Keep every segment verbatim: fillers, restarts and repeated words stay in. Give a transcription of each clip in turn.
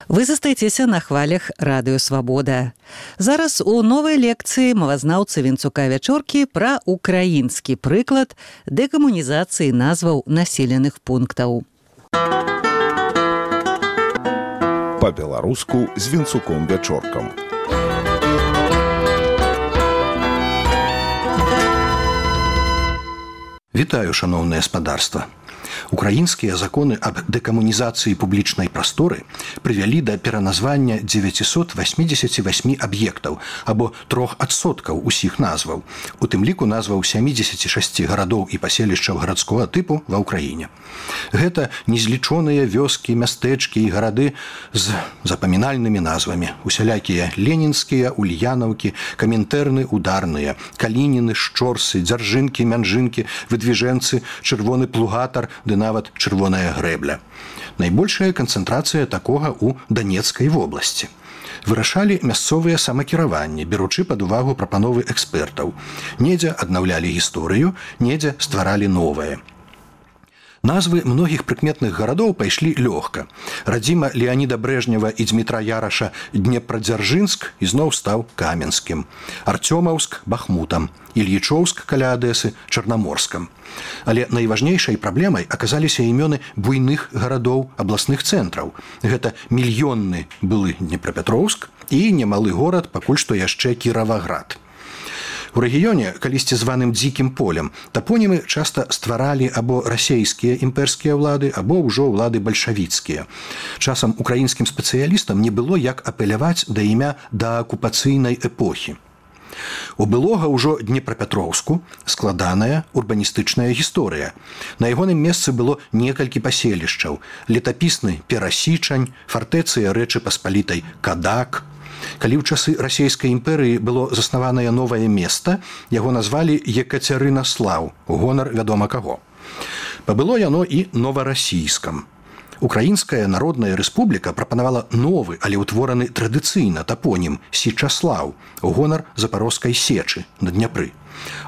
Вы застаецеся на хвалях радыё «Свабода». Зараз у новай лекцыі мовазнаўцы Вінцука Вячоркі пра украінскі прыклад дэкамунізацыі назваў населеных пунктаў. Па-беларуску з Вінцуком Вячоркам. Вітаю, шаноўнае спадарства. Украінскія законы аб дэкамунізацыі публічнай прасторы прывялі да пераназвання дзевяцьсот васьмідзесят васьмі аб'ектаў або трох адсоткаў усіх назваў, у тым ліку назваў сямідзесят шэсць гарадоў і паселішчаў гарадскога тыпу ва ўкраіне. Гэта незлічоныя вёскі, мястэчкі і гарады з запамінальнымі назвамі. Усялякія ленінскія, ульянаўкі, каментэрны, ударныя, калініны, шчорсы, дзяржынкі, мянжынкі, выдвіжэнцы, чырвоны плугатар, ды нават чырвоная грэбля. Найбольшая канцэнтрацыя такога ў Данецкай вобласці. Вырашалі мясцовыя самакіраванні, беручы пад увагу прапановы экспертаў. Недзе аднаўлялі гісторыю, недзе стваралі новае. Назвы многіх прыкметных гарадоў пайшлі лёгка. Радзіма Леаніда Брэжнева і Дзмітра Яраша Днепрадзяржынск ізноў стаў Каменскім, Арцёмаўск – Бахмутам, Ільічоўск каля Адэсы – Чарнаморскам. Але найважнейшай праблемай аказаліся імёны буйных гарадоў абласных цэнтраў. Гэта мільённы былы Днепрапетроўск і немалы горад, пакуль што яшчэ Кіраваград. У рэгіёне, калісьці званым дзікім полем, тапонімы часта стваралі або расейскія імперскія ўлады, або ўжо ўлады бальшавіцкія. Часам украінскім спецыялістам не было як апеляваць да імя да акупацыйнай эпохі. У былога ўжо Днепрапетроўску складаная урбаністычная гісторыя. На ягоным месцы было некалькі паселішчаў: летапісны Перасічань, фартэцыя Рэчы Паспалітай Кадак. Калі ў часы расійскай імперыі было заснаванае новае места, яго назвалі Екацярынаслаў, гонар вядома каго. Пабыло яно і новарасійскам. Украінская народная рэспубліка прапанавала новы, але ўтвораны традыцыйна тапонім Січаслаў, гонар Запарожскай сечы на Дняпры.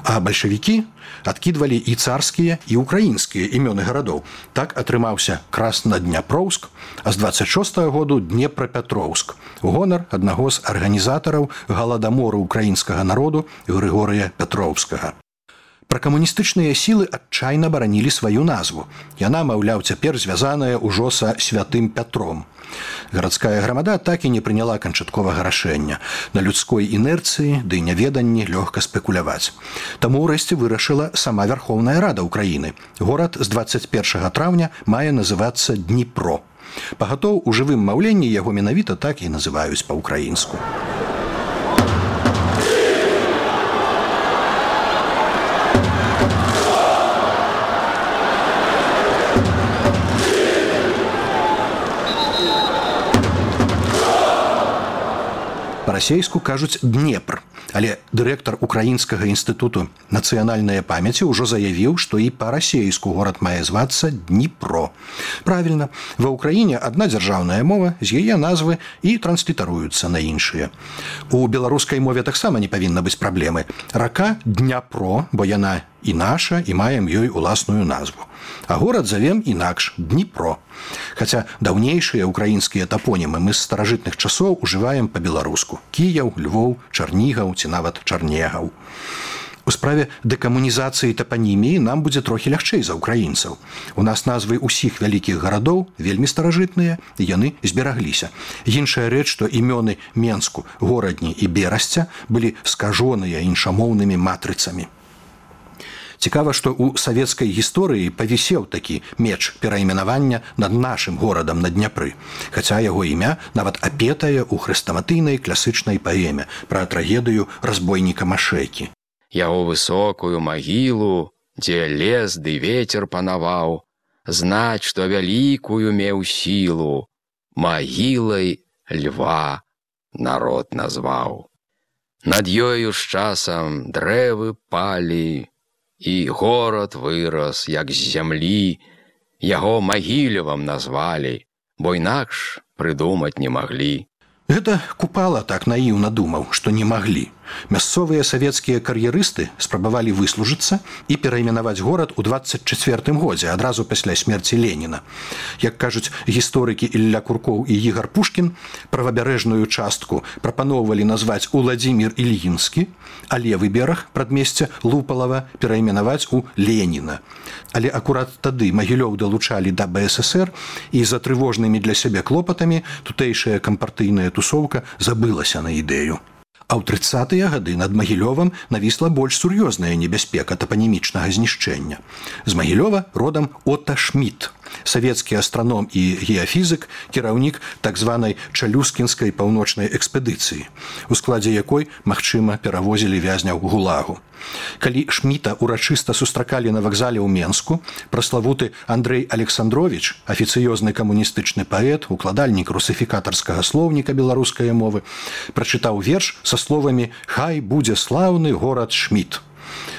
А бальшавікі адкідвалі і царскія, і украінскія імёны гарадоў. Так атрымаўся Краснадняпроўск, а з дваццаць шостага году Днепрапетроўск, гонар аднаго з арганізатараў галадамору украінскага народу Грыгорыя Пятроўскага. Пракамуністычныя сілы адчайна баранілі сваю назву. Яна, маўляў, цяпер звязаная ўжо са святым Пятром. Гарадская грамада так і не прыняла канчатковага рашэння. На людской інерцыі ды няведанні лёгка спекуляваць. Таму ўрэшце вырашыла сама Вярхоўная Рада Ўкраіны. Горад з дваццаць першага траўня мае называцца Дніпро. Пагатоў у жывым маўленні яго менавіта так і называюць па-ўкраінску. Па-расейску кажуць Днепр, але дырэктар Украінскага інстытуту нацыянальнай памяці ўжо заявіў, што і па-расейску горад мае звацца Дніпро. Правільна, ва Ўкраіне адна дзяржаўная мова, з яе назвы і транслітаруюцца на іншыя. У беларускай мове таксама не павінна быць праблемы. Рака Дняпро, бо яна і наша, і маем ёй уласную назву. А горад завем інакш Дніпро. Хаця даўнейшыя украінскія тапонімы мы з старажытных часоў ужываем па-беларуску: Кіяў, Львоў, Чарнігаў ці нават Чарнегаў. У справе дэкамунізацыі тапаніміі нам будзе трохі лягчэй за ўкраінцаў. У нас назвы ўсіх вялікіх гарадоў вельмі старажытныя, і яны зберагліся. Іншая рэч, што імёны Менску, Горадні і Берасця былі скажоныя іншамоўнымі матрыцамі. Цікава, што ў савецкай гісторыі павісеў такі меч перайменавання над нашым горадам на Дняпры, хаця яго імя нават апетае ў хрэстаматыйнай класычнай паэме пра трагедыю разбойніка Машэкі. Яго высокую магілу, дзе лес ды вецер панаваў, знаць, што вялікую меў сілу, магілай льва народ назваў. Над ёю з часам дрэвы палі, і горад вырас, як з зямлі, яго Магілевам назвалі, бо інакш прыдумаць не маглі. Гэта Купала так наіўна думаў, што не маглі. Мясцовыя савецкія кар'ерысты спрабавалі выслужыцца і перайменаваць горад у дваццаць чацвёртым годзе, адразу пасля смерці Леніна. Як кажуць гісторыкі Ілля Куркоў і Ігар Пушкін, правабярэжную частку прапаноўвалі назваць Уладзімір Ільінскі, а левы бераг прадмесця Лупалава перайменаваць у Леніна. Але акурат тады Магілёў далучалі да бэ эс эсэр, і за трывожнымі для сябе клопатамі тутэйшая кампартыйная тусоўка забылася на ідэю. А ў трыццатыя гады над Магілёвам навісла больш сур'ёзная небяспека тапанімічнага знішчэння. З Магілёва родам Отто Шмідт, савецкі астраном і геафізык, кіраўнік так званай Чалюскінскай паўночнай экспедыцыі, у складзе якой, магчыма, перавозілі вязняў гулагу. Калі Шмідта урачыста сустракалі на вакзале ў Менску, праславуты Андрэй Александровіч, афіцыёзны камуністычны паэт, укладальнік русыфікатарскага слоўніка беларускай мовы, прачытаў верш са словамі «Хай будзе слаўны горад Шмідт».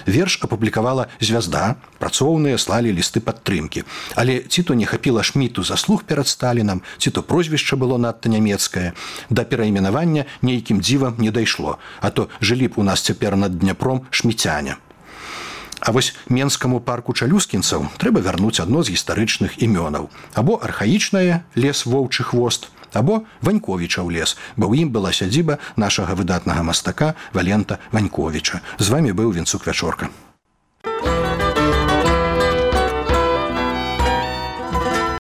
Верш апублікавала «Звязда», працоўныя слалі лісты падтрымкі. Але ці то не хапіла Шмідту заслуг перад Сталінам, ці то прозвішча было надта нямецкае, да перайменавання нейкім дзівам не дайшло, а то жылі б у нас цяпер над Дняпром шміцяне. А вось менскаму парку чалюскінцаў трэба вярнуць адно з гістарычных імёнаў. Або архаічнае лес Воўчы хвост, або Ваньковічаў лес, бо ў ім была сядзіба нашага выдатнага мастака Валента Ваньковіча. З вамі быў Вінцук Вячорка.